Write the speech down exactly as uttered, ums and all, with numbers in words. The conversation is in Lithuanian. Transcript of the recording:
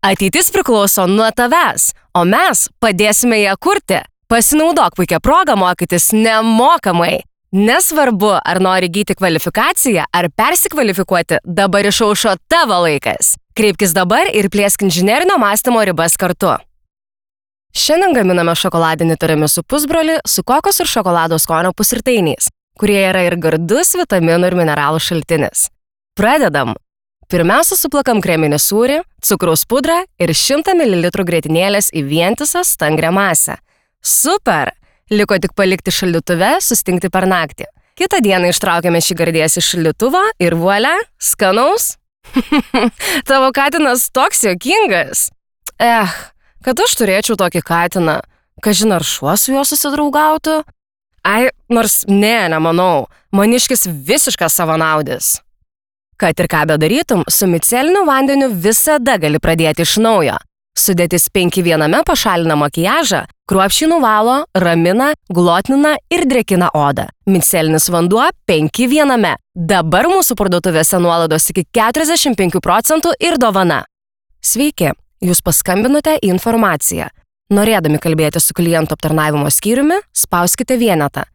Ateitis priklauso nuo tavęs, o mes padėsime ją kurti. Pasinaudok puikią progą mokytis nemokamai. Nesvarbu, ar nori įgyti kvalifikaciją, ar persikvalifikuoti, dabar išaušo tavo laikas. Kreipkis dabar ir plėsk inžinerinio mąstymo ribas kartu. Šiandien gaminame šokoladinį tiramisu pusbrolį su kokos ir šokolado skonio pusrytainiais, kurie yra ir gardus vitaminų ir mineralų šaltinis. Pradedam! Pirmiausia, suplakam kreminį sūrį, cukraus pudrą ir šimtą mililitrų grietinėlės į vientisą stangrią masę. Super! Liko tik palikti šaldytuve, sustingti per naktį. Kitą dieną ištraukėme šį gardės iš šaldytuvo ir vuolia, skanaus. Tavo katinas toks juokingas. Eh, kad aš turėčiau tokį katiną. Kažin ar šuo su juo susidraugautų? Ai, nors ne, nemanau. Maniškis visiškas savanaudis. Kad ir ką bedarytum, su miceliniu vandeniu visada gali pradėti iš naujo. Sudėtis penki viename pašalina makiažą, kruopščiai nuvalo, ramina, glotnina ir drėkina odą. Micelinis vanduo penki viename. Dabar mūsų parduotuvėse nuolaidos iki keturiasdešimt penkių procentų ir dovana. Sveiki, jūs paskambinote į informaciją. Norėdami kalbėti su klientų aptarnavimo skyriumi, spauskite vienetą.